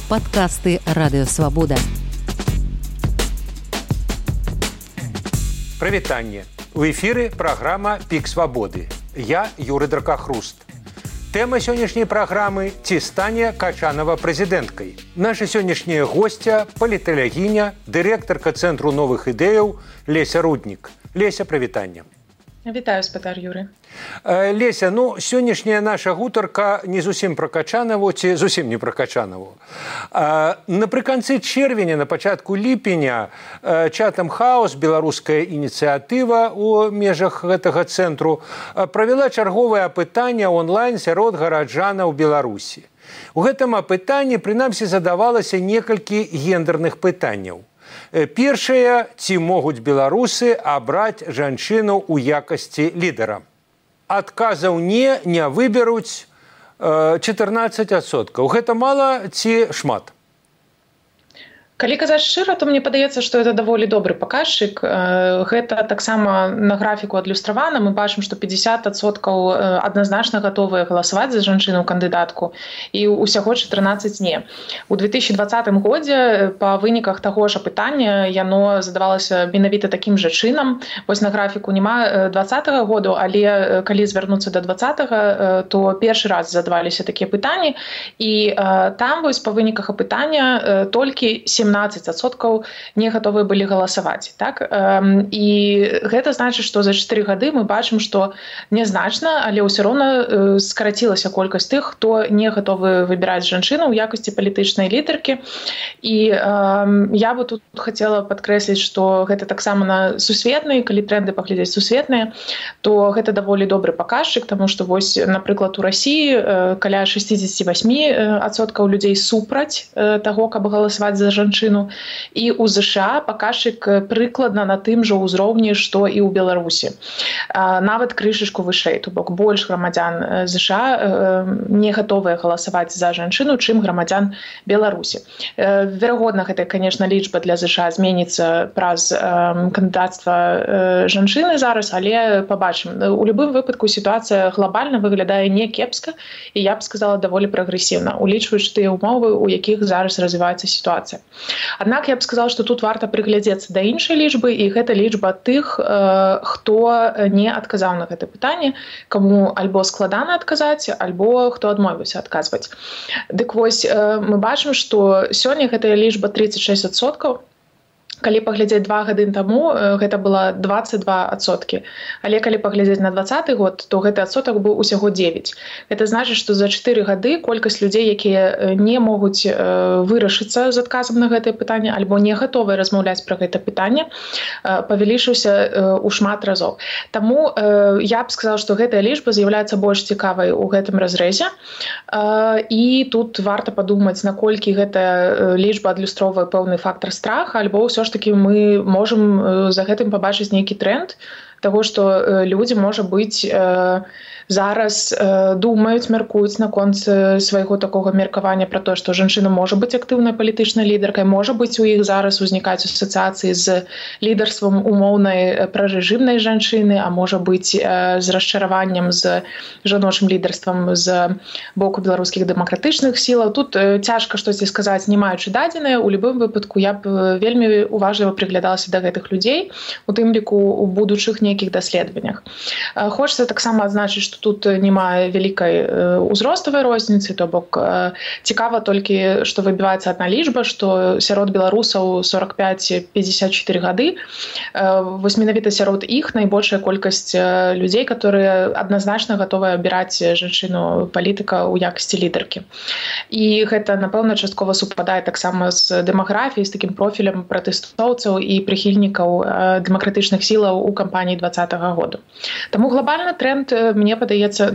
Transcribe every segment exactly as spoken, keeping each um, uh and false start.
Подкасты «Радио Свобода». Прывітанне. У эфіры праграма «Пік свабоды». Я Юрый Дракахруст. Тэма сённяшняй праграмы «Ці стане Качанова прэзідэнткай?». Наша сённяшняя госця – паліталягіня, дырэктарка Цэнтру новых ідэяў Леся Руднік. Леся, прывітанне. Вітаю, спадар Юры. Леся, ну, сённяшняя наша гутарка не зусім пра Качанаву, ці зусім не пра Качанаву. Напрыканцы чэрвеня, на пачатку ліпеня, Chatham House, беларуская ініцыятыва ў межах гэтага цэнтру, правяла чарговае апытанне онлайн сярод гараджанаў Беларусі. У гэтым апытанні, прынамсі, задавалася некалькі гендерных пытанняў. Першае, ці могуць беларусы абраць жанчыну ў якасці лідара? Адказаў не, не выберуць чатырнаццаць адсоткаў. Гэта мала ці шмат? Калі казаць шчыра, то мне падаецца, што гэта даволі добры паказчык. Гэта таксама на графіку адлюстравана. Мы бачым, што пятьдесят адсоткаў адназначна гатовыя галасаваць за жанчыну кандыдатку і ўсяго чатырнаццаць не. У две тысячи двадцатым годзе па выніках таго ж апытання яно задавалася менавіта такім жа чынам. Вось на графіку няма двадцатага году, але калі звярнуцца да двадцатага, то першы раз задаваліся такія пытанні. І там вось па выніках апытання толькі семнадцаць адсоткаў не гатовыя былі галасаваць. Так? І гэта значыць, што за чатыры гады мы бачым, што нязначна, але ўсё роўна скарацілася колькасць тых, хто не гатовы выбіраць жанчыну ў якасці палітычнай лідаркі. І э, я бы тут хацела падкрэсліць, што гэта таксама на сусветныя, калі тренды паглядзець сусветныя, то гэта даволі добры паказчык, таму што вось, напрыклад, у Расіі каля шэсцьдзесят восемь адсоткаў людзей супраць таго, каб галасаваць за жанчыну. І ў ЗША паказчык прыкладна на тым жа ўзроўні, што і ў Беларусі. Нават крышачку вышэй, то бок больш грамадзян ЗША не гатовыя галасаваць за жанчыну, чым грамадзян Беларусі. Верагодна, гэта, конечно, лічба для ЗША зменіцца праз кандыдацтва жанчыны зараз, але пабачым. У любым выпадку сітуацыя глобальна выглядае не кепска, і я б сказала, даволі прагрэсіўна, улічваючы тыя ўмовы, у якіх зараз развіваецца сітуацыя. Аднак я б сказала, што тут варта прыглядзецца да іншай лічбы, і гэта лічба тых, хто не адказаў на гэта пытанне, каму альбо складана адказаць, альбо хто адмовіўся адказваць. Дык вось, мы бачым, што сёння гэтая лічба тридцать шесть адсоткаў. Калі паглядзець два гады таму, гэта было двадцать два адсоткі. Але калі паглядзець на двадцаты год, то гэты адсотак быў усяго девять. Гэта значыць, што за чатыры гады колькасць людзей, якія не могуць вырашыцца з адказам на гэтае пытанне альбо не гатовыя размаўляць пра гэта пытанне, павялічыўся ў шмат разоў. Таму я б сказала, што гэтая лічба з'яўляецца больш цікавай у гэтым разрэзе. І тут варта падумаць, наколькі гэтая лічба адлюстроўвае пэўны фактар страха, альбо ўсё ж таки мы можам за гэтым пабачыць нейкі тренд таго, што людзі, можа быць, зараз думаюць, мяркуюць наконт свайго такога меркавання пра тое, што жанчына можа быць актыўнай палітычнай лідаркай, можа быць, у іх зараз узнікаюць асацыяцыі з лідарствам умоўнай прарэжымнай жанчыны, а можа быць, з расчараваннем з жаночым лідарствам з боку беларускіх дэмакратычных сілаў. Тут цяжка штосьці сказаць, не маючы дадзеныя. У любым выпадку я б вельмі уважліва прыглядалася да гэтых людзей, у тым ліку у будучых нейкіх даследаваннях. Хочацца таксама адзначыць, што тут няма вялікай узроставай розніцы, то бок цікава толькі, што выбіваецца адна лічба, што сярод беларусаў сорок пять - пятьдесят четыре гады. Вось менавіта сярод іх найбольшая колькасць людзей, которые адназначна гатовыя абіраць жанчыну палітыка ў якасці лідаркі. І гэта, напэўна, часткова супадае таксама з дэмаграфіяй, з такім профілем пратэстоўцаў і прыхільнікаў дэмакратычных сілаў у кампаніі двадцатага году. Таму глобальны тренд, мне падаецца,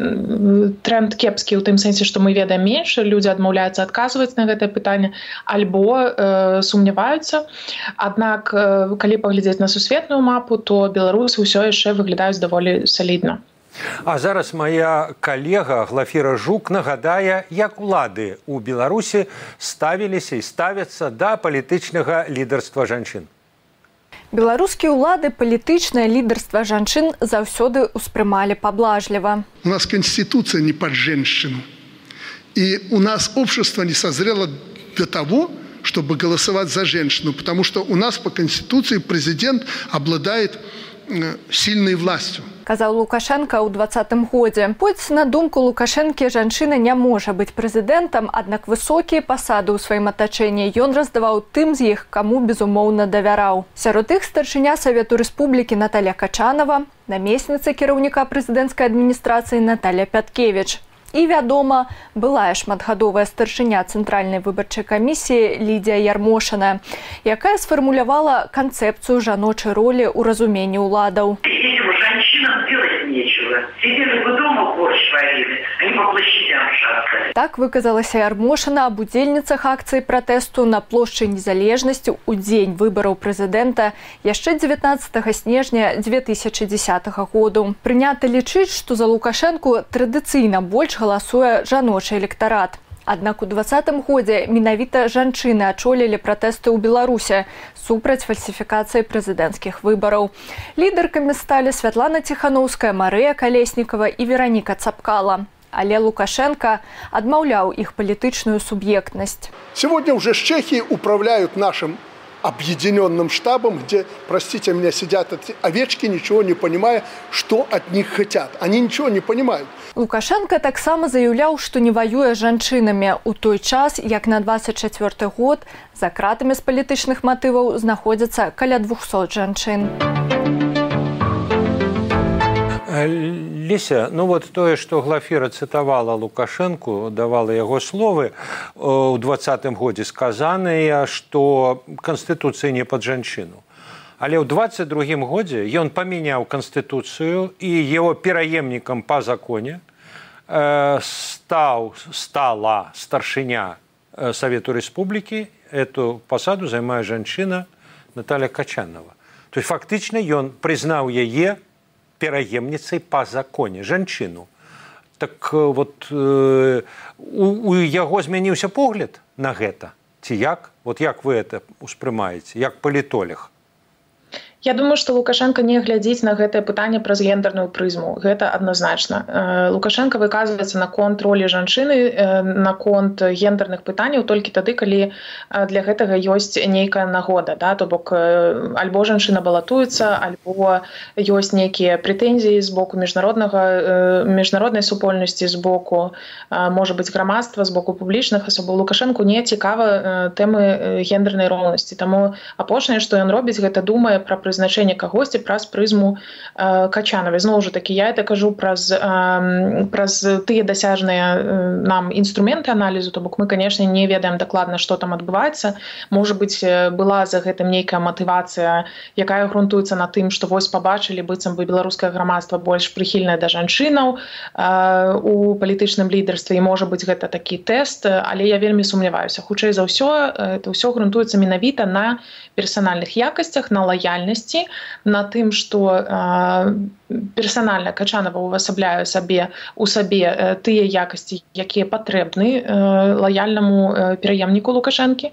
тренд кепскі ў тым сэнсе, што мы ведаем менш, людзі адмаўляюцца адказваць на гэтае пытанне альбо э, сумняваюцца. Аднак, э, калі паглядзець на сусветную мапу, то беларусы ўсё яшчэ выглядаюць даволі салідна. А зараз моя калега Глафіра Жук нагадае, як улады ў Беларусі ставіліся і ставяцца да палітычнага лідарства жанчын. Беларускія ўлады палітычнае лідарства жанчын заўсёды ўспрымалі паблажліва. У нас конституция не под женщину. И у нас общество не созрело до того, чтобы голосовать за женщину, потому что у нас по Конституции президент обладает сильной властью. Казаў Лукашенко ў двадцатым годзе. Хоць, на думку Лукашэнкі, жанчына не можа быць прэзідэнтам, аднак высокія пасады ў сваім атачэнні ён раздаваў тым з іх, каму безумоўна давяраў. Сярод іх старшыня Савету Рэспублікі Наталья Качанова, намесніца кіраўніка прэзідэнцкай адміністрацыі Наталья Пяткевіч. І, вядома, былая шматгадовая старшыня Цэнтральнай выбарчай камісіі Лідія Ярмошина, якая сфармулявала канцэпцыю жаночай ролі ў разуменні ўладаў. Женщинам делать нечего. Сидели бы дома, борщ варили, а не по площадям шаркали. Так выказалася Ярмошина аб удзельніцах акцыі пратэсту на плошчы Незалежнасці ў дзень выбараў прэзідэнта яшчэ дзевятнаццатага снежня дзве тысячы дзесятага году. Прынята лічыць, што за Лукашэнку традыцыйна больш галасуе жаночы электарат. Аднак у двадцатым годзе менавіта жанчыны ачолілі пратэсты ў Беларусі супраць фальсіфікацыі прэзідэнцкіх выбараў. Лідаркамі сталі Святлана Ціханаўская, Марыя Калеснікава і Вераніка Цапкала. Але Лукашенко адмаўляў іх палітычную суб'ектнасць. Сегодня уже Чехии управляют нашим объединенным штабом, где, простите меня, сидят эти овечки, ничего не понимая, что от них хотят. Они ничего не понимают. Лукашенко таксама заяўляў, што не ваюе з жанчынамі ў той час, як на двадцать чацвёрты год за кратамі з палітычных матываў знаходзяцца каля двухсот жанчын. Леся, ну вот тое, што Глафіра цытавала Лукашэнку, давала яго словы, у двадцатым годзе сказаныя, што Канстытуцыя не пад жанчыну. Але ў двадцать другім годзе ён памяняў Канстытуцыю і яго пераемнікам па законе э, стаў, стала старшыня Совету Рэспублікі. Эту пасаду займае жанчына Наталья Качанова. То есть фактычна ён прызнаў яе пераемніцай па законе, жанчыну. Так вот, э, у, у яго змяніўся погляд на гэта? Ці як? Вот як вы это успрымаеце, як палітолог? Я думаю, што Лукашенко не глядзіць на гэтае пытанне праз гендерную прызму. Гэта адназначна. Лукашенко выказваецца наконт ролі жанчыны, наконт гендерных пытанняў толькі тады, калі для гэтага ёсць нейкая нагода. Да? То бок альбо жанчына балатуецца, альбо ёсць нейкія прэтэнзіі з боку міжнароднага, міжнароднай супольнасці, з боку, можа быць, грамадства, з боку публічных асобаў. Лукашенку не цікава тэмы гендернай роўнасці. Таму апошняе, што ён робіць, гэта думае пра прызначэнне кагосьці праз прызму э, Качанавай. Зноў жа такі, я это кажу праз, э, праз тыя дасяжныя э, нам інструменты аналізу, то бок мы, канешне, не ведаем дакладна, што там адбываецца. Можа быць, была за гэтым нейкая матывацыя, якая грунтуецца на тым, што вось пабачылі, быццам бы беларускае грамадства больш прыхільнае да жанчынаў э, у палітычным лідарстве, і можа быць гэта такі тэст, але я вельмі сумняваюся. Хутчэй за ўсё, это ўсё грунтуецца менавіта на персанальных якасцях, на лаяльнасці, на тым, што э, персанальна Качанова увасабляе сабе у сабе э, тыя якасці, якія патрэбны э, лаяльнаму э, пераемніку Лукашэнкі.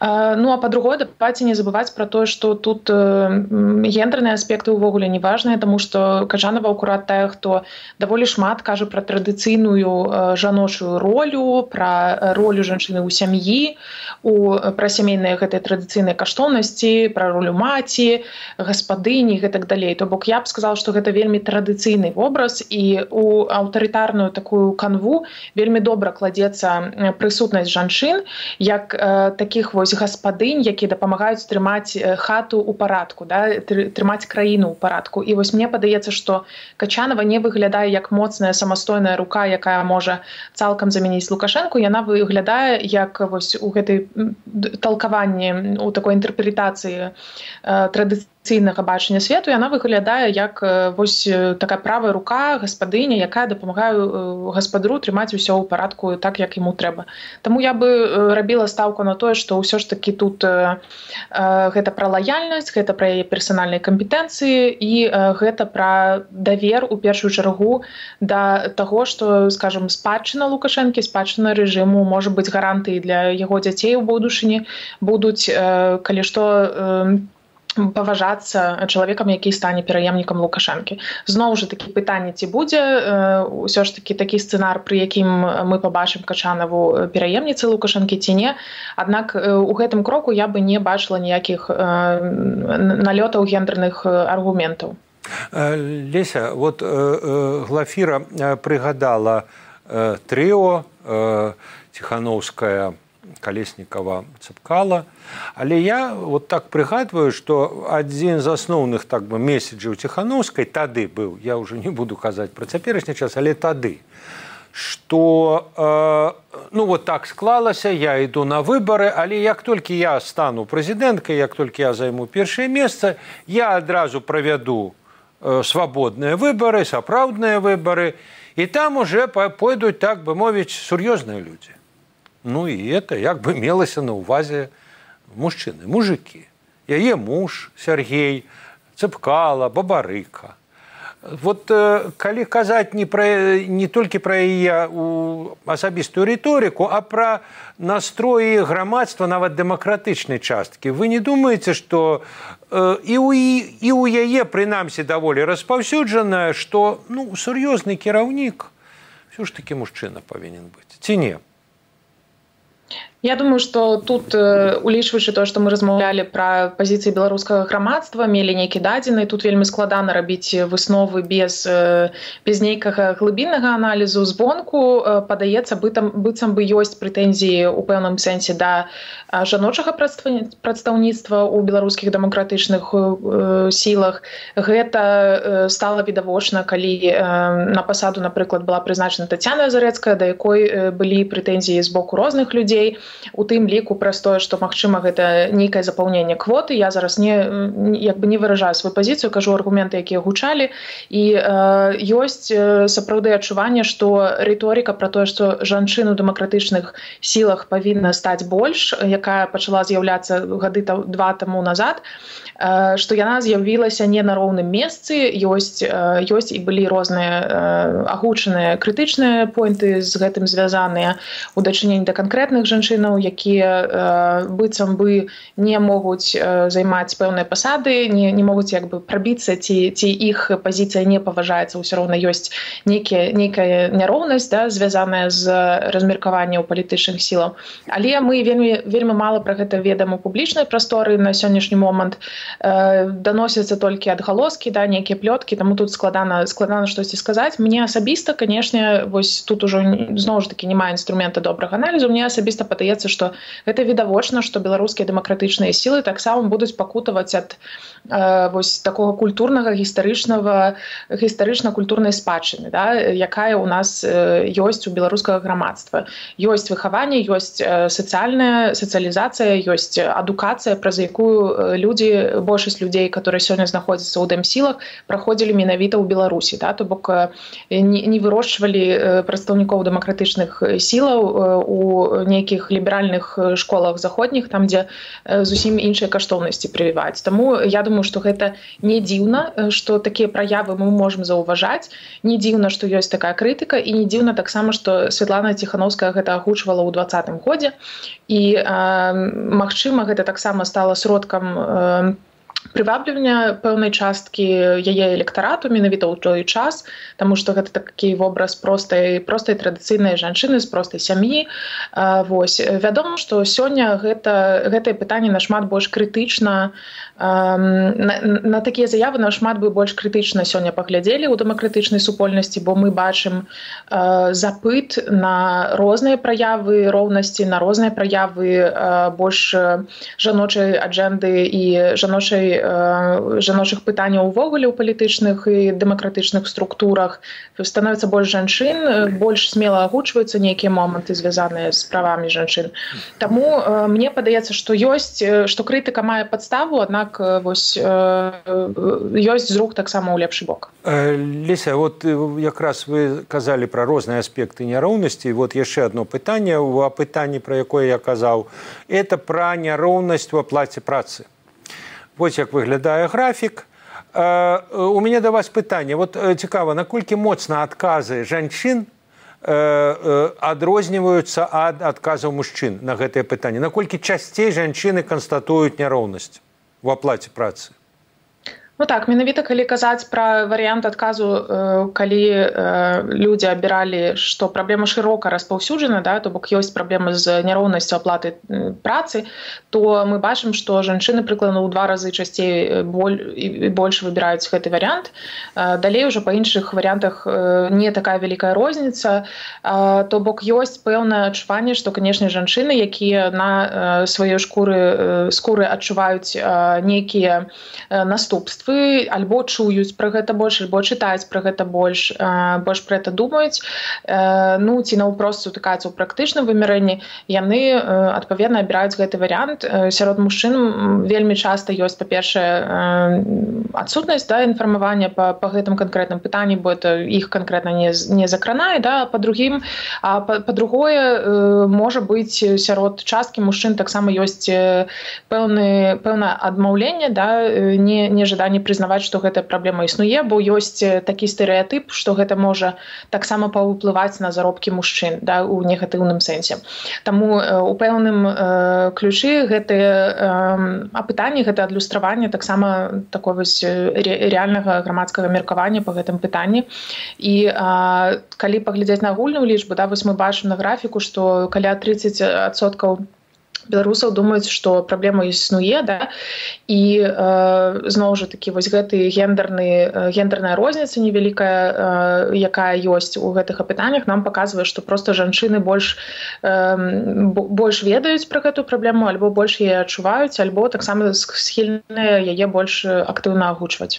Э, ну а па-другое, давайце не забываць пра тое, што тут э, гендерныя аспекты ўвогуле не важныя, таму што Качанова акурат тая, хто даволі шмат кажа пра традыцыйную э, жаночую ролю, пра ролю жанчыны ў сям'і, у, пра сямейныя гэтыя традыцыйныя каштоўнасці, пра ролю маці, гаспадыні і гэтак далей. То бок я б сказала, што гэта вельмі традыцыйны вобраз, і у аўтарытарную такую канву вельмі добра кладзецца прысутнасць жанчын як э, такіх вось гаспадынь, якія дапамагаюць трымаць хату ў парадку, да, трымаць краіну ў парадку. І вось мне падаецца, што Качанова не выглядае як моцная самастойная рука, якая можа цалкам замяніць Лукашэнку. Яна выглядае як вось у гэтай талкаванні, у такой інтэрпрэтацыі э, традыцыйнага бачання свету, яна выглядае як вось такая правая рука гаспадыня, якая дапамагае гаспадару трымаць усё ў парадку так, як яму трэба. Таму я бы рабіла стаўку на тое, што ўсё ж такі тут э, гэта пра лаяльнасць, гэта пра яе персанальныя кампетэнцыі і э, гэта пра давер у першую чаргу да таго, што, скажам, спадчына Лукашэнкі, спадчына рэжыму можа быць гарантыяй для яго дзяцей у будучыні, будуць, э, калі што, э, паважацца чалавекам, які стане пераемнікам Лукашэнкі. Зноў жа такі пытанне, ці будзе ўсё ж такі такі сцэнар, пры якім мы пабачым Качанаву пераемніцай Лукашэнкі ці не. Аднак у гэтым кроку я бы не бачыла ніякіх налётаў гендерных аргументаў. Леся, вот Глафіра прыгадала трыо Ціхановская, Калеснікава, Цыпкала. Але я вот так прыгадваю, што адзін з асноўных так бы месседжаў Ціхановскай тады быў, я ўжо не буду казаць пра цяперашні час, але тады, што э, ну вот так склалася, я іду на выбары, але як толькі я стану прэзідэнткай, як толькі я займу першае месца, я адразу правяду э, свабодныя выбары, сапраўдныя выбары, і там уже пойдуць, так бы мовіць, сур'ёзныя людзі. Ну і это як бы мелася на ўвазе мужчыны, мужики. Яе муж Сергей, Цыпкала, Бабарыка. Вот э, калі казаць не, пра, не толькі пра яе асабістую рыторыку, а пра настроі грамадства, нават дэмакратычнай часткі, вы не думаеце, што э, і, у, і ў яе, прынамсі, даволі распаўсюджаная, што ну, сур'ёзны кіраўнік ўсё ж такі мужчына павінен быць, ці не? Я думаю, што тут, улічваючы то, што мы размаўлялі пра пазіцыі беларускага грамадства, мелі нейкі дадзены, тут вельмі складана рабіць высновы без, без нейкага глыбіннага аналізу. Звонку падаецца, быццам бы ёсць прэтэнзіі ў пэўным сэнсе да жаночага прадстаўніцтва ў беларускіх дэмакратычных сілах. Гэта стала відавочна, калі на пасаду, напрыклад, была прызначана Тацяна Зарэцкая, да якой былі прэтэнзіі з боку розных людзей, у тым ліку пра тое, што магчыма гэта нейкае запаўненне квоты. Я зараз не як бы не выражаю сваю пазіцыю, кажу аргументы, якія гучалі, і э, ёсць сапраўды адчуванне, што рыторыка пра тое, што жанчын у дэмакратычных сілах павінна стаць больш, якая пачала з'яўляцца гады два таму назад, э, што яна з'явілася не на роўным месцы, ёсць э, ёсць і былі розныя э, агучаныя крытычныя поінты з гэтым звязаныя у дачыненні да канкрэтных жанчын, якія э, быццам бы не могуць э, займаць пэўныя пасады, не, не могуць як бы прабіцца, ці, ці іх пазіцыя не паважаецца, ўсё роўна ёсць нейкія, нейкая няроўнасць, да, звязаная з размеркаваннем палітычных сілаў. Але мы вельмі, вельмі мала пра гэта ведаем у публічнай прасторы на сённяшні момант. Э, даносяцца толькі адгалоскі, да, нейкія плёткі, таму тут складана, складана штосьці сказаць. Мне асабіста, канешне, вось тут ужо зноў ж такі няма інструмента добрага аналізу, мне асабіста падаецца, што гэта відавочна, што беларускія дэмакратычныя сілы таксама будуць пакутаваць ад э, вось такога культурнага, гістарычнага, гістарычна-культурнай спадчыны, да, якая ў нас э, ёсць у беларускага грамадства. Ёсць выхаванне, ёсць э, сацыяльная сацыялізацыя, ёсць адукацыя, праз якую людзі, большасць людзей, которые сёння знаходзяцца ў дэмсілах, праходзілі менавіта ў Беларусі, да, то бок э, не, не вырошчвалі э, прадстаўнікоў дэмакратычных сілаў э, у нейкіх ліберальных школах заходніх, там, дзе зусім іншыя каштоўнасці прывіваюць. Таму я думаю, што гэта не дзіўна, што такія праявы мы можам заўважаць, не дзіўна, што ёсць такая крытыка, і не дзіўна таксама, што Святлана Ціхановская гэта агучвала ў двадцатым годзе, і э, магчыма, гэта таксама стала сродкам э, прываблівання пэўнай часткі яе электарату менавіта ў той час, таму што гэта такі вобраз простай, простай традыцыйнай жанчыны з простай сям'і. Вось. Вядома, што сёння гэта, гэтае пытанне нашмат больш крытычна, на, на такія заявы нашмат бы больш крытычна сёння паглядзелі ў дэмакратычнай супольнасці, бо мы бачым запыт на розныя праявы роўнасці, на розныя праявы больш жаночай аджэнды і жаночай жаночых пытанняў увогуле ў палітычных і дэмакратычных структурах. Становіцца больш жанчын, больш смела агучваюцца нейкія моманты, звязаныя з правамі жанчын. Таму мне падаецца, што ёсць, што крытыка мае падставу, аднак вось ёсць зрух таксама ў лепшы бок. Леся, вот якраз вы казалі пра розныя аспекты няроўнасці. Вот яшчэ одно пытанне, у апытанні, пра якое я казаў, это пра няроўнасць у аплаце працы. Вось як выглядае графік. У мяне да вас пытанне. Вот цікава, наколькі моцна адказы жанчын адрозніваюцца ад адказаў мужчын на гэтае пытанне? Наколькі часцей жанчыны канстатуюць няроўнасць? в аплаце працы? Ну так, менавіта калі казаць пра варыянт адказу, калі людзі абіралі, што праблема шырока распаўсюджана, да, то бок ёсць праблема з няроўнасцю аплаты працы, то мы бачым, што жанчыны прыкладна ў два разы часцей і больш выбіраюць гэты варыянт. Далей ужо па іншых варыянтах не такая вялікая розніца, то бок ёсць пэўнае адчуванне, што, канешне, жанчыны, якія на сваёй шкуры скуры адчуваюць нейкія наступствы, альбо чуюць пра гэта больш, альбо чытаюць пра гэта больш, больш пра гэта думаюць, ну, ці наўпрост сутыкаюцца ў практычным вымярэнні, яны, адпаведна, абіраюць гэты варыянт. Сярод мужчын вельмі часта ёсць, па-першае, адсутнасць, да, інфармавання па, па гэтым канкрэтным пытанні, бо это іх канкрэтна не, не закранае, да, па-другім, а па-другое, можа быць, сярод часткі мужчын таксама ёсць пэўны, пэўнае адмаўленне, да, не, не жаданне прызнаваць, што гэтая праблема існуе, бо ёсць такі стэрэатып, што гэта можа таксама паўплываць на заробкі мужчын, да, у негатыўным сэнсе. Таму у пэўным ключы гэтыя апытанні, гэта адлюстраванне таксама такой вось рэальнага грамадскага меркавання па гэтым пытанні. І калі паглядзець на агульную лічбу, да, вось мы бачым на графіку, што каля тридцать адсоткаў беларусаў думаюць, што праблема існуе, да, і э, зноў жа такі вось гэты гендерны, гендерная розніца невялікая, э, якая ёсць у гэтых апытаннях, нам паказвае, што проста жанчыны больш, э, больш ведаюць пра гэтую праблему, альбо больш яе адчуваюць, альбо таксама схільныя яе больш актыўна агучваць.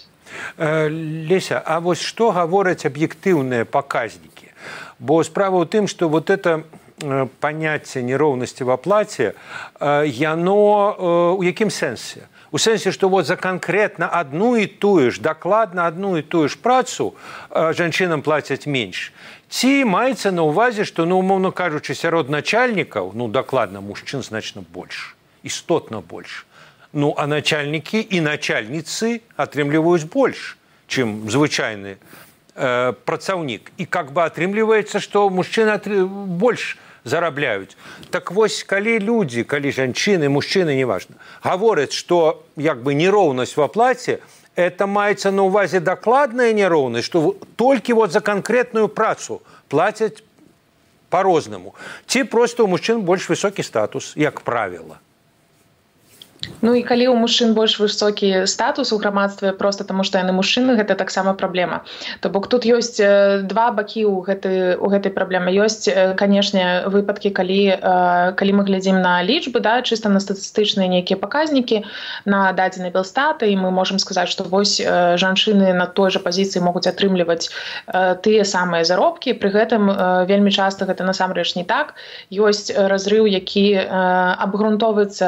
Леся, а вось што гавораць аб'ектыўныя паказнікі? Бо справа ў тым, што вот это паняцце нероўнасці в аплаце, яно у якім сэнсе? У сэнсе, што вот за канкрэтна адну і тую ж, дакладна адну і тую ж працу жанчынам плацяць менш. Ці маецца на ўвазе, што, ну, умоўна кажучы, сярод начальнікаў, ну, дакладна, мужчын значна больш, істотна больш. Ну, а начальнікі і начальніцы атрымліваюць больш, чым звычайны э, працаўнік. І как бы атрымліваецца, што мужчыны больш зарабляюць. Так вось, калі людзі, калі жанчыны, мужчыны, неважна, гавораць, што як бы нероўнасць в аплаце, это маецца на ўвазе дакладная нероўнасць, што толькі вот за канкрэтную працу плацяць по-рознаму. Ці проста у мужчын больш высокі статус, як правіла. Ну і калі ў мужчын больш высокі статус у грамадстве проста таму, што яны мужчыны, гэта таксама праблема. То бок тут ёсць два бакі ў гэтай, у гэтай праблемы. Ёсць, канешне, выпадкі, калі, калі мы глядзім на лічбы, да, чыста на статыстычныя нейкія паказнікі, на дадзенай Белстата, і мы можам сказаць, што вось жанчыны на той жа пазіцыі могуць атрымліваць тыя самыя заробкі. Пры гэтым вельмі часта гэта насамрэч не так. Ёсць разрыў, які абгрунтоўваецца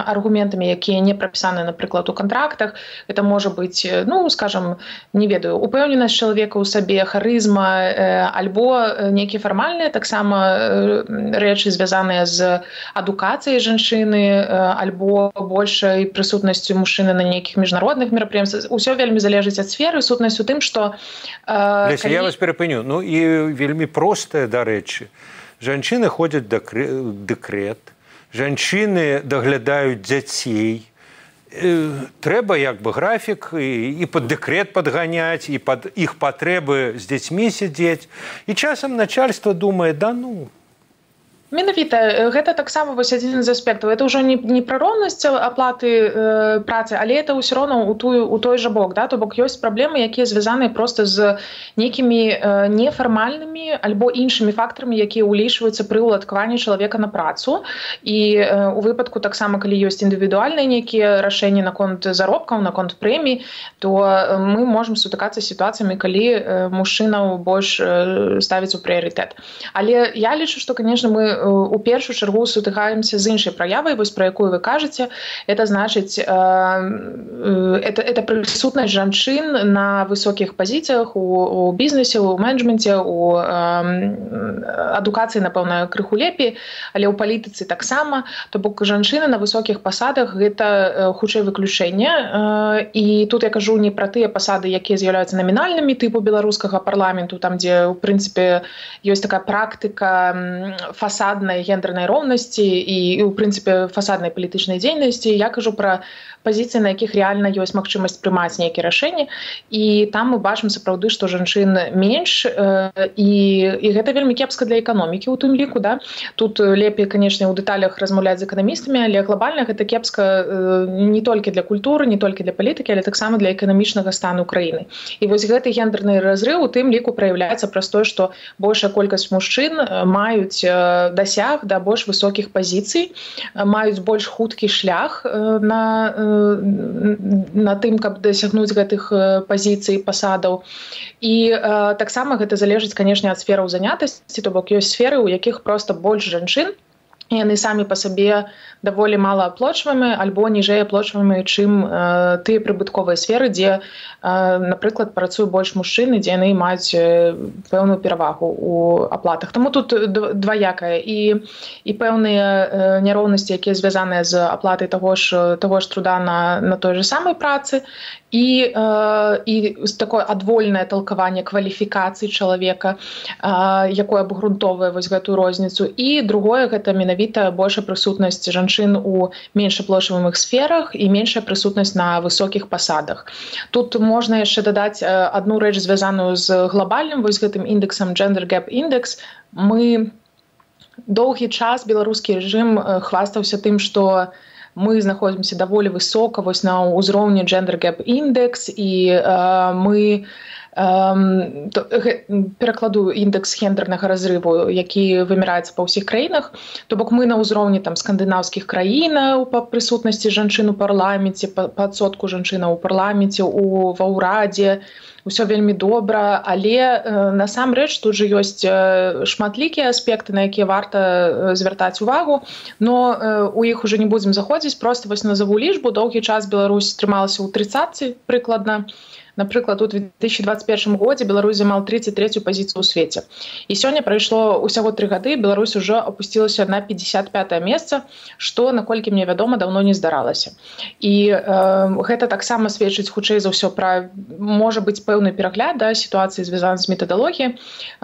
аргументамі, якія не прапісаны, напрыклад, у кантрактах. Это можа быць, ну, скажам, не ведаю, упэўненасць чалавека ў сабе, харызма, альбо нейкія фармальныя таксама рэчы, звязаныя з адукацыяй жанчыны, альбо большай прысутнасцю мужчыны на нейкіх міжнародных мерапрыемствах. Усё вельмі залежыць ад сферы. Сутнасць у тым, што... Леся, калі... я вас перапыню. Ну, і вельмі простае, дарэчы. Жанчыны ходзяць дэкрэт, жанчыны даглядаюць дзяцей. Трэба як бы графік і, і пад дэкрэт падганяць, і пад іх патрэбы з дзецьмі сядзець. І часам начальства думае, да ну... Менавіта, гэта таксама вось адзін з аспектаў. Это ўжо не, не пра роўнасць аплаты э, працы, але это ўсё роўна ў тую у той жа бок, да, то бок ёсць праблемы, якія звязаныя проста з нейкімі э, нефармальнымі альбо іншымі фактарамі, якія ўлічваюцца пры ўладкаванні чалавека на працу. І э, у выпадку таксама, калі ёсць індывідуальныя нейкія рашэнні наконт заробкаў, наконт прэмій, то э, мы можам сутыкацца з сітуацыямі, калі э, мужчынаў больш э, ставіць у прыярытэт. Але я лічу, што, канешне, мы у першую чаргу сутыкаемся з іншай праявай, вось пра якую вы кажаце. Это значыць, э, это, это прысутнасць жанчын на высокіх пазіцыях у, у бізнесе, у менеджменце, у э, адукацыі, напэўна, крыху лепей, але ў палітыцы таксама. То бок жанчыны на высокіх пасадах гэта хутчэй выключэнне. Э, і тут я кажу не пра тыя пасады, якія з'яўляюцца намінальнымі тыпу беларускага парламенту, там, дзе, у прынцыпе, ёсць такая практыка фасад фасаднай гендернай роўнасці і, і ў прынцыпе фасаднай палітычнай дзейнасці. Я кажу пра пазіцыі, на якіх рэальна ёсць магчымасць прымаць нейкія рашэнні, і там мы бачым сапраўды, што жанчын менш, і, і гэта вельмі кепска для эканомікі ў тым ліку. Да? Тут лепей, канешне, у дэталях размаўляць з эканамістамі, але глобальна гэта кепска не толькі для культуры, не толькі для палітыкі, але таксама для эканамічнага стану краіны. І вось гэты гендерны разрыў у тым ліку праяўляецца праз тое, што большая колькасць мужчын маюць дасяг да больш высокіх пазіцый, маюць больш хуткі шлях на на тым, каб дасягнуць гэтых пазіцый, пасадаў. І э, таксама гэта залежыць, канешне, ад сфераў занятасці, то бок ёсць сферы, у якіх проста больш жанчын, і яны самі па сабе даволі мала аплочваемы альбо ніжэй аплочваемы, чым э, тыя прыбытковыя сферы, дзе, э, напрыклад, працуе больш мужчын, дзе яны маюць пэўную перавагу ў аплатах. Таму тут дваякае і, і пэўныя э, няроўнасці, якія звязаныя з аплатай таго ж, таго ж труда на, на той же самай працы, і, э, і такое адвольнае талкаванне кваліфікацый чалавека, э, якое абгрунтоўвае вось гэтую розніцу. І другое, гэта менавіта большая прысутнасць жанчын у меншаплошваемых сферах і меншая прысутнасць на высокіх пасадах. Тут можна яшчэ дадаць адну рэч, звязаную з глобальным вось гэтым індексам Gender Gap Index. Мы доўгі час беларускі рэжым хвастаўся тым, што мы знаходзімся даволі высока вось на ўзроўні Gender Gap Index, і э, мы Um, то, перакладу індекс гендернага разрыву, які вымяраецца па ўсіх краінах. То бок мы на ўзроўні там скандынаўскіх краінаў па прысутнасці жанчын у парламенце, па, па адсотку жанчынаў у парламенце, у ва ўрадзе. Усё вельмі добра, але э, насамрэч тут жа ёсць э, шматлікія аспекты, на якія варта э, звяртаць увагу, но э, у іх уже не будзем заходзіць, проста вось назову лічбу. Доўгі час Беларусь трымалася ў трыццаці прыкладна. Напрыклад, у две тысячи двадцать первом годзе Беларусь займала тридцать третью пазіцыю ў свеце. І сёння прайшло ўсяго тры гады, Беларусь ужо апусцілася на пятьдесят пятое месца, што, наколькі мне вядома, даўно не здаралася. І э, гэта таксама сведчыць хутчэй за ўсё пра, можа быць, пэўны перагляд, да, сітуацыі звязана з метадалогіяй, э,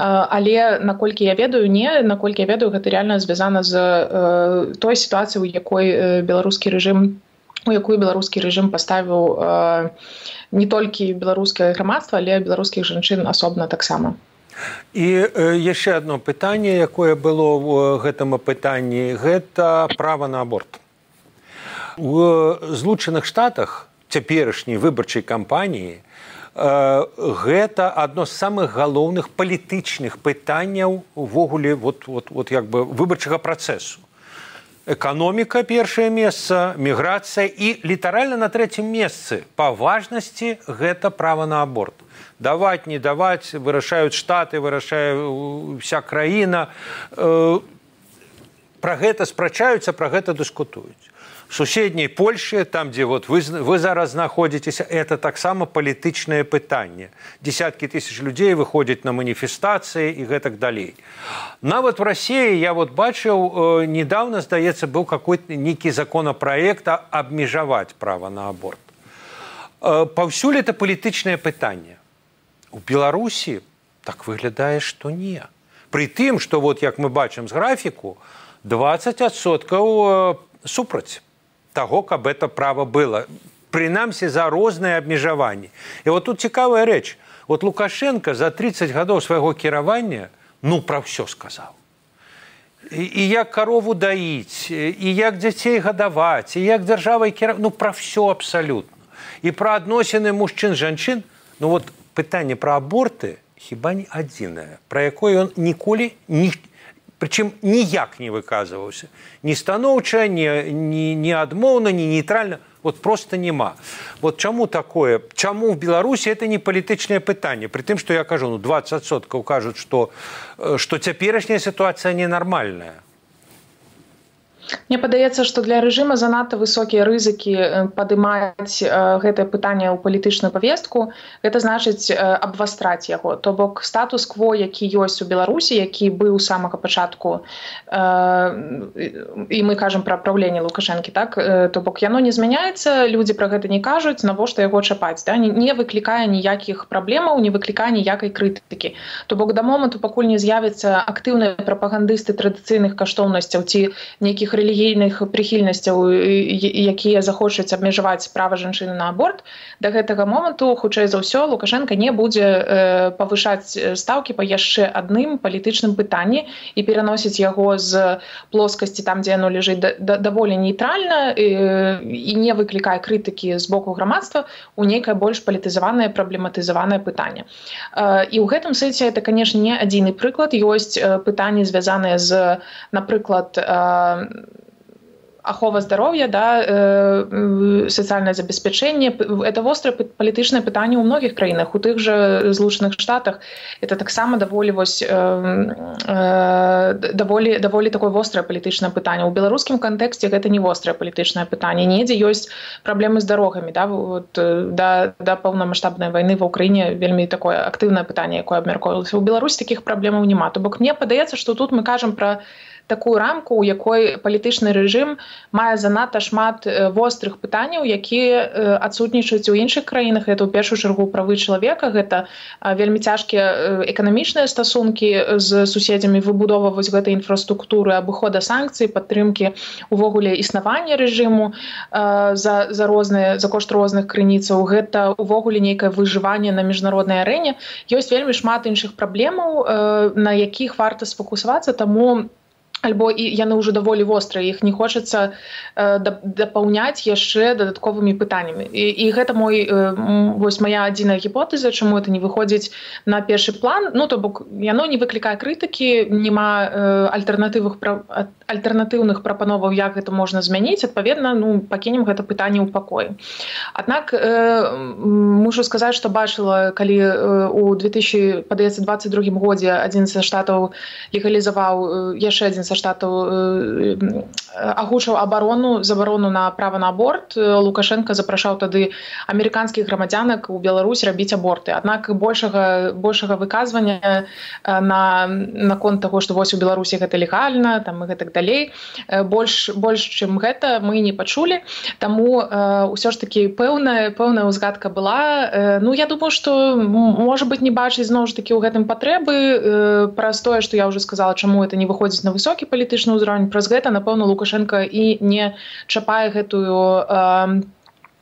але наколькі я ведаю, не, наколькі я ведаю, гэта рэальна звязана з э, той сітуацыяй, у якой э, беларускі рэжым у якую беларускі рэжым паставіў э, не толькі беларускае грамадства, але беларускіх жанчын асобна таксама. І э, яшчэ одно пытанне, якое было ў гэтым апытанні, гэта права на аборт. У Злучаных Штатах цяперашняй выбарчай кампаніі э, гэта адно з самых галоўных палітычных пытанняў увогуле вот, вот, вот, як бы выбарчага працэсу. Эканоміка першае месца, міграцыя і літаральна на трэцім месцы па важнасці гэта права на аборт. Даваць, не даваць, вырашаюць штаты, вырашае вся краіна. Пра гэта спрачаюцца, пра гэта дыскутуюць. В суседняй Польшы, там, дзе вот вы, вы зараз знаходзіцеся, это таксама палітычнае пытанне. Десяткі тысяч людзей выходзяць на маніфестацыі і гэтак далей. Нават в России я вот бачыў, э, недавно, здаецца, быў какой-то нейкі законапраект абмежаваць права на аборт. Э, паўсюль это палітычнае пытанне. У Беларусі так выглядае, што не. Пры тым, што вот, як мы бачым з графіку, двадцать адсоткаў э, супраць таго, каб это права было. Прынамсі за розныя абмежаванні. І вот тут цікавая рэч. Вот Лукашенко за тридцать гадоў свайго кіравання ну пра ўсё сказаў. І, і як карову даіць, і як дзяцей гадаваць, і як дзяржавай кіраваць, ну пра ўсё абсалютна. І пра адносіны мужчын-жанчын, ну вот пытанне пра аборты хіба не адзінае, пра якое ён ніколі не причем ніяк не выказываўся. Ні станоўча, ні, ні, ні адмоўна, ні нейтральна. Вот просто нема. Вот чаму такое? Чаму в Беларусі это не палітычнае пытанне? При тым, што я кажу, ну двадцать адсоткаў кажуць, што, што цяперашняя сітуацыя ненармальная. Мне падаецца, што для рэжыма занадта высокія рызыкі падымаць гэтае пытанне ў палітычную павестку. Гэта значыць абвастраць яго. То бок статус-кво, які ёсць у Беларусі, які быў з самага пачатку, і мы кажам пра праўленне Лукашэнкі, так? То бок яно не змяняецца, людзі пра гэта не кажуць, навошта яго чапаць, да? Не выклікае ніякіх праблемаў, не выклікае ніякай крытыкі. То бок да моманту, пакуль не з'явяцца актыўныя прапагандысты традыцыйных каштоўнасцяў ці нейкіх рэлігійных прыхільнасцяў, якія захочуць абмежаваць права жанчыны на аборт, да гэтага моманту, хутчэй за ўсё, Лукашенко не будзе павышаць стаўкі па яшчэ адным палітычным пытанні і пераносіць яго з плоскасці там, дзе яно ляжыць, даволі нейтральна і не выклікае крытыкі з боку грамадства у нейкае больш палітызаванае, праблематызаванае пытанне. І ў гэтым сэнсе это, канешне, не адзіны прыклад. Ёсць пытанні, звязаныя з, напрыклад, ахова здароўя, да, сацыяльнае забеспячэнне. Это вострае палітычнае пытанне ў многіх краінах. У тых жа Злучаных Штатах это таксама даволі вось даволі даволі такое вострае палітычнае пытанне. У беларускім кантэксце гэта не вострае палітычнае пытанне. Недзе ёсць праблемы з дарогамі, да, вот, да, да паўнамаштабнай вайны ва ўкраіне вельмі такое актыўнае пытанне, якое абмяркоўвалася. У Беларусі такіх праблемаў няма. То бок мне падаецца, што тут мы кажам пра такую рамку, у якой палітычны рэжым мае занадта шмат вострых пытанняў, якія адсутнічаюць у іншых краінах. Гэта ў першую чаргу правы чалавека, гэта вельмі цяжкія эканамічныя стасункі з суседзямі, выбудова вось гэтай інфраструктуры, абыхода санкцый, падтрымкі увогуле існавання рэжыму за, за, розныя, за кошт розных крыніцаў. Гэта увогуле нейкае выжыванне на міжнароднай арэне. Ёсць вельмі шмат іншых праблемаў, на якіх варта сфокусавацца, таму альбо і яны ўжо даволі вострыя, іх не хочацца э, дапаўняць яшчэ дадатковымі пытаннямі. І, і гэта мой, э, вось мая адзіная гіпотэза, чаму это не выходзіць на першы план. Ну, то бок, яно не выклікае крытыкі, няма э, альтэрнатыўных, пра, альтэрнатыўных прапановаў, як гэта можна змяніць. Адпаведна, ну, пакінем гэта пытанне ў пакоі. Аднак, э, мушу сказаць, што бачыла, калі э, у две тысячи двадцать другім годзе адзін са штатаў легалізаваў э, яшчэ адзін са штатаў э, агучыў абарону, забарону на права на аборт. Лукашенко запрашаў тады амерыканскіх грамадзянак у Беларусь рабіць аборты. Аднак большага, большага выказвання на, наконт таго, што вось у Беларусі гэта легальна, там, і гэтак далей, больш, больш чым гэта мы не пачулі. Таму э, ўсё ж такі пэўная, пэўная ўзгадка была. Э, ну, я думаю, што, можа быць, не бачыць зноў ж такі ў гэтым патрэбы. Э, праз тое, што я ўжо сказала, чаму это не выходзіць на высокі палітычны ўзровень, праз гэта, напэўна, Лукашенко і не чапае гэтую э,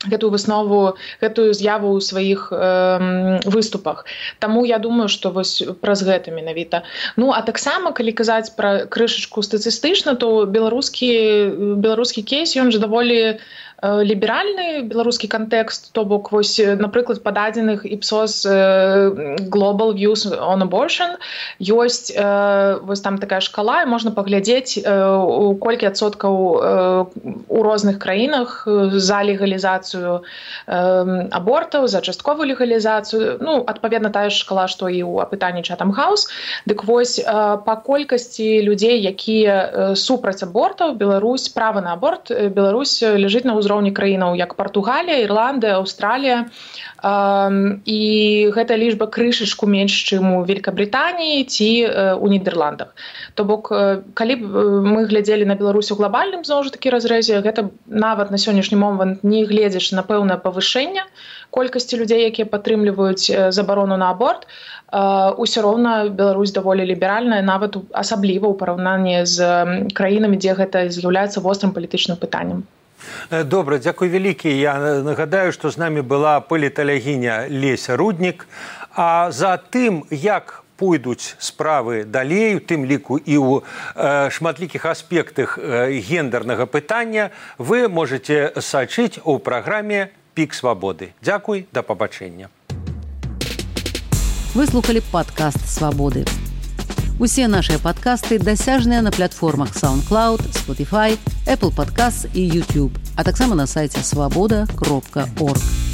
гэтую выснову, гэтую з'яву ў сваіх э, выступах. Таму я думаю, што вось праз гэта менавіта. Ну, а таксама, калі казаць пра крышачку статыстычна, то беларускі, беларускі кейс, ён жа даволі ліберальны, беларускі кантэкст, то бок, вось, напрыклад, па дадзеных Ipsos Global Views on Abortion ёсць вось там такая шкала, і можна паглядзець, у колькі адсоткаў у розных краінах за легалізацыю абортаў, за частковую легалізацыю. Ну, адпаведна, тая ж шкала, што і ў апытанні Chatham House. Дык вось, па колькасці людзей, якія супраць абортаў, Беларусь, права на аборт, Беларусь ляжыць на ўзроўні краінаў, як Партугалія, Ірландыя, Аўстралія. І гэта лічба крышачку менш, чым у Великабрытаніі ці у Нідерландах. То бок, калі б мы глядзелі на Беларусь у глобальным, зноў жа такі разрэзе, гэта нават на сённяшні момант, не гледзячы на пэўнае павышэнне колькасці людзей, якія падтрымліваюць забарону на аборт, усё роўна Беларусь даволі ліберальная, нават асабліва ў параўнанні з краінамі, дзе гэта з'яўляецца вострым палітычным пытаннем. Добра, дзякуй вялікі. Я нагадаю, што з намі была паліталягіня Леся Руднік. А за тым, як пойдуць справы далей, у тым ліку і ў э, шматлікіх аспектах э, гендернага пытання, вы можете сачыць у праграме «Пік свабоды». Дзякуй, да пабачэння. Вы слухали падкаст «Свабоды». Усе нашыя падкасты дасяжныя на платформах SoundCloud, Spotify, Apple Podcasts і YouTube, а таксама на сайце свабода кропка орг.